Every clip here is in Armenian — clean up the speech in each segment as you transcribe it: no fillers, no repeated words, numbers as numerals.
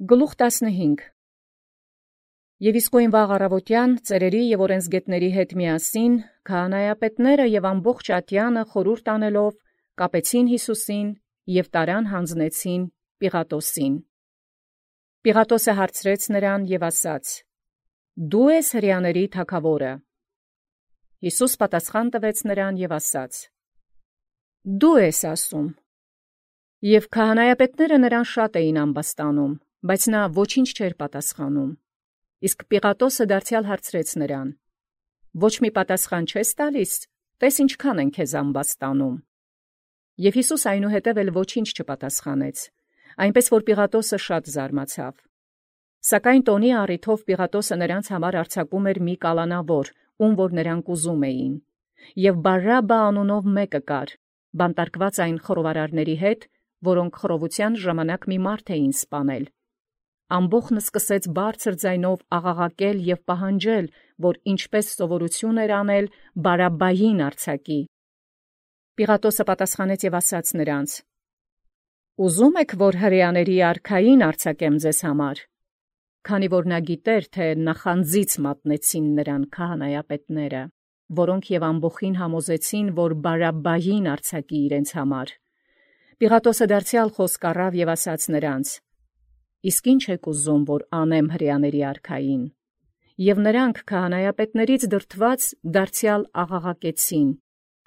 Գլուխ 15 Եվ իսկույն վաղ առավոտյան ծերերի և օրենսգետների հետ միասին քահանայապետները և ամբողջ ատյանը խորհուրդ անելով կապեցին Յիսուսին և տարան յանձնեցին Պիղատոսին։ Պիղատոսը հարցրեց նրան և ասաց. «Դու ես հրեաների թագաւորը»։ Յիսուս պատասխան տվեց նրան և ասաց. «Դու ես ասում»։ Եվ քահանայապետները նրան շատ էին ամբաստանում, բայց նա ոչինչ չէր պատասխանում։ Իսկ Պիղատոսը դարձյալ հարցրեց նրան. «Ոչ մի պատասխան չես տալիս, տես ինչքան են քեզ ամբաստանում»։ Եվ Յիսուս այնուհետև էլ ոչինչ չպատասխանեց, այնպես որ Պիղատոսը շատ զարմացավ։ Սակայն տոնի առիթով Պիղատոսը նրանց համար արձակում էր մի կալանավոր, ում որ նրանք ուզում էին։ Եվ Բարաբբա անունով մեկը կար, բանտարկված այն խռովարարների հետ, որոնք խռովության ժամանակ մի մարդ էին սպանել։ Ամբոխն սկսեց բարձր ձայնով աղաղակել և պահանջել, որ ինչպես սովորություն էր անել, Բարաբբային արձակի։ Պիղատոսը պատասխանեց և ասաց նրանց. «Ուզում եք, որ հրեաների արքային արձակեմ ձեզ համար»։ Քանի որ նա գիտեր, թե նախանձից մատնեցին նրան քահանայապետները, որոնք և ամբոխին համոզեցին, որ Բարաբբային արձակի իրենց համար։ Պիղատոսը դարձյալ խոսք առավ և ասաց նրանց. «Իսկ ի՞նչ եք ուզում, որ անեմ հրեաների արքային»։ Եվ նրանք քահանայապետներից դրդված դարձյալ աղաղակեցին.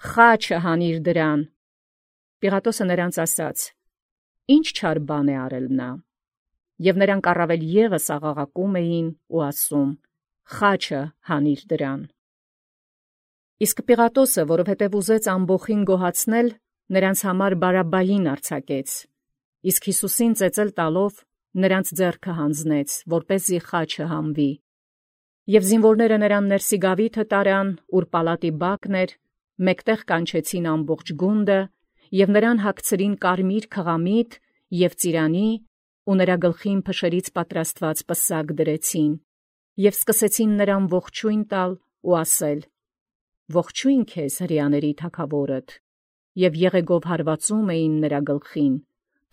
«Խաչը հանիր դրան»։ Պիղատոսը նրանց ասաց. «Ի՞նչ չար բան է արել նա»։ Եվ նրանք առավել ևս աղաղակում էին ու ասում. «Խաչը հանիր դրան»։ Իսկ Պիղատոսը, որովհետև ուզեց ամբոխին գոհացնել, նրանց համար Բարաբբային արձակեց, իսկ Յիսուսին ծեծել տալով նրանց ձեռքը հանձնեց, որպեսզի խաչը հանվի։ Եվ զինվորները նրան ներսի գաვითը տարան, ուր պալատի բակն էր, մեկտեղ կանչեցին ամբողջ գունդը, և նրան հագցրին կարմիր քղամիտ և ծիրանի, ու նրա գլխին փշերից պատրաստված պսակ դրեցին, և սկսեցին նրան ողջույն տալ ու ասել. «Ողջույն քեզ, հրեաների թագավորդ», և եղեգով հարվածում էին նրա գլխին,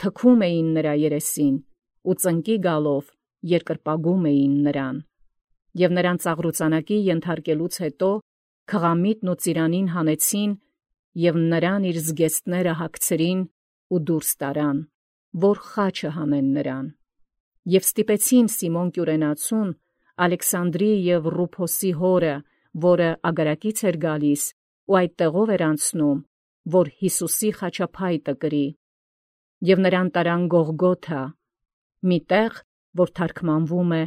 թքում էին նրա երեսին, ու ծնկի գալով երկրպագում էին նրան։ Եվ նրան ծաղրուծանակի ենթարկելուց հետո քղամիտն ու ծիրանին հանեցին և նրան իր զգեստները հագցրին ու դուրս տարան, որ խաչը հանեն նրան։ Եվ ստիպեցին Սիմոն Կյուրենացուն, Ալեքսանդրի և Ռուփոսի հորը, որը ագարակից էր գալիս ու այդ տեղով էր անցնում, որ Յիսուսի խաչափայտը կրի։ Եվ նրան տարան Գողգոթա, մի տեղ, որ թարգմանվում է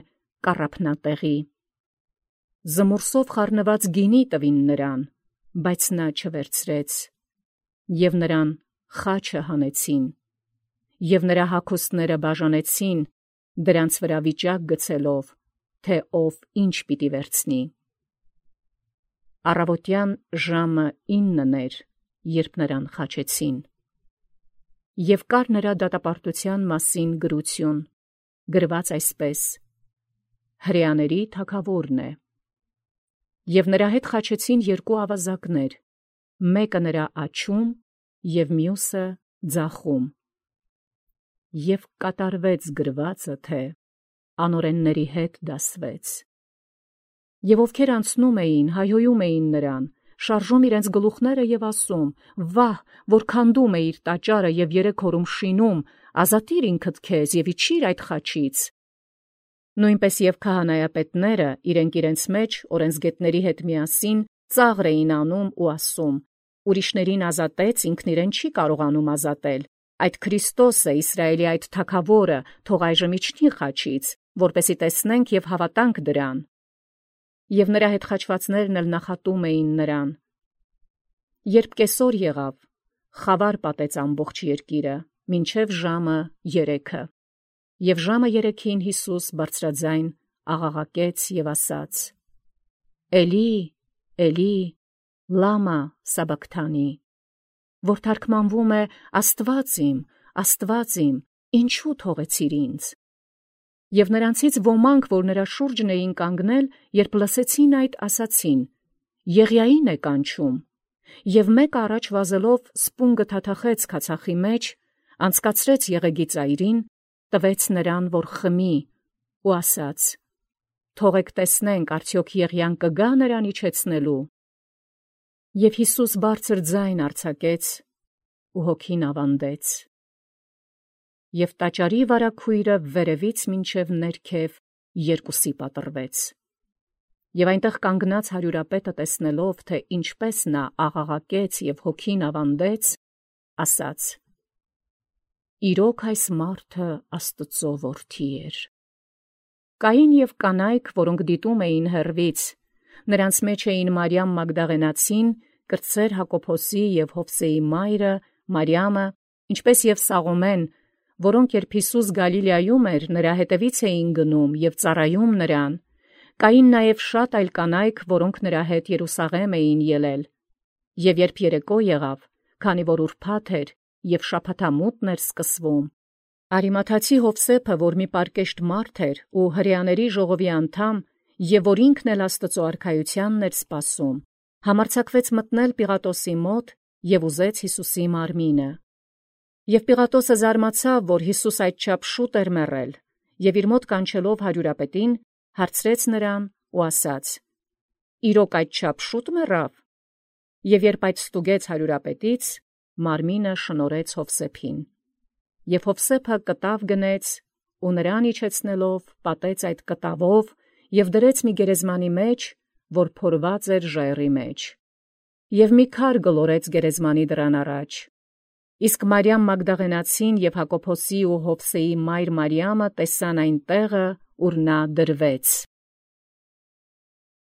Կառափնատեղի։ Զմուրսով խառնված գինի տվին նրան, բայց նա չվերցրեց։ Եվ նրան խաչը հանեցին, և նրա հագուստները բաժանեցին, դրանց վրա վիճակ գցելով, թե ով ինչ պիտի վերցնի։ Առավոտյան ժամը 9 էր, երբ նրան խաչեցին։ Եվ կար նրա դատապարտության մասին գրություն, գրված այսպես. «Հրեաների թագավորն է»։ Եվ նրա հետ խաչեցին երկու ավազակներ, մեկը նրա աջում և մյուսը ձախում։ Եվ կատարվեց գրվածը, թե անօրենների հետ դասվեց։ Եվ ովքեր անցնում էին, հայհոյում էին նրան, շարժում իրենց գլուխները և ասում. «Վահ, որքան դում էիր տաճարը և 3 օրում շինում, ազատիր ինքդ քեզ և իջիր այդ խաչից»։ Նույնպես և քահանայապետները իրենց մեջ օրենսգետների հետ միասին ծաղր էին անում ու ասում. «Ուրիշներին ազատեց, ինքն իրեն չի կարողանում ազատել։ Այդ Քրիստոսը, Իսրայելի այդ թագավորը, թող այժմ իջնի խաչից, որպեսզի տեսնենք և հավատանք դրան»։ Եվ նրա հետ խաչվածներն էլ նախատում էին նրան։ Երբ կեսօր եղավ, խավար պատեց ամբողջ երկիրը, մինչև ժամը 3։ Եվ ժամը 3-ին Յիսուս բարձրաձայն աղաղակեց և ասաց. «Էլի, Էլի, լամա սաբաքթանի», որ թարգմանվում է. Աստված իմ, ինչու թողեցիր ինձ։ Եվ նրանցից ոմանք, որ նրա շուրջն էին կանգնել, երբ լսեցին այդ, ասացին. «Եղիային է կանչում»։ Եվ մեկը առաջ վազելով սպունգը թաթախեց քացախի մեջ, անցկացրեց եղեգի ծայրին տվեց նրան, որ խմի, ու ասաց. թողեք տեսնենք, արդյոք Եղիան կգա նրան իջեցնելու։ Եվ Յիսուս բարձր ձայն արձակեց ու հոգին ավանդեց։ Եվ տաճարի վարագույրը վերևից մինչև ներքև երկուսի պատռվեց։ Եվ այնտեղ կանգնած հարյուրապետը տեսնելով, թե ինչպես նա աղաղակեց և հոգին ավանդեց, ասաց. իրոք այս մարդը Աստծո որդի էր։ Կային և կանայք, որոնք դիտում էին հեռվից, նրանց մեջ էին Մարիամ Մագդաղենացին, կրտսեր Հակոբոսի և Հովսեի մայրը, Մարիամը, ինչպես և Սաղոմեն, որոնք երբ Յիսուս Գալիլեայում էր, նրա հետևից էին գնում և ծառայում նրան։ Կային նաև շատ այլ կանայք, որոնք նրա հետ Երուսաղեմ էին ելել։ Եվ երբ երեկո եղավ, քանի որ ուրբաթ էր և շաբաթամուտն էր սկսվում, Արիմաթացի Հովսեփը, որ մի պարկեշտ մարդ էր ու հրեաների ժողովի անդամ, և որ ինքն էլ Աստծո արքայությանն էր սպասում, համարձակվեց մտնել Պիղատոսի մոտ և ուզեց Յիսուսի մարմինը։ Եվ Պիղատոսը զարմացավ, որ Յիսուս այդչափ շուտ էր մեռել, և իր մոտ կանչելով հարյուրապետին, հարցրեց նրան ու ասաց. իրոք այդչափ շուտ մեռավ։ Եվ երբ այդ ստուգեց հարյուրապետից, մարմինը շնորհեց Հովսեփին։ Եվ Հովսեփը կտավ գնեց ու նրան իջեցնելով պատեց այդ կտավով և դրեց մի գերեզմանի մեջ, որ փորված էր ժայռի մեջ։ Եվ մի քար գլորեց գերեզմանի դռան առաջ։ Իսկ Մարիամ Մագդաղենացին և Հակոբոսի ու Հովսեի մայր Մարիամը տեսան այն տեղը, ուր նա դրվեց։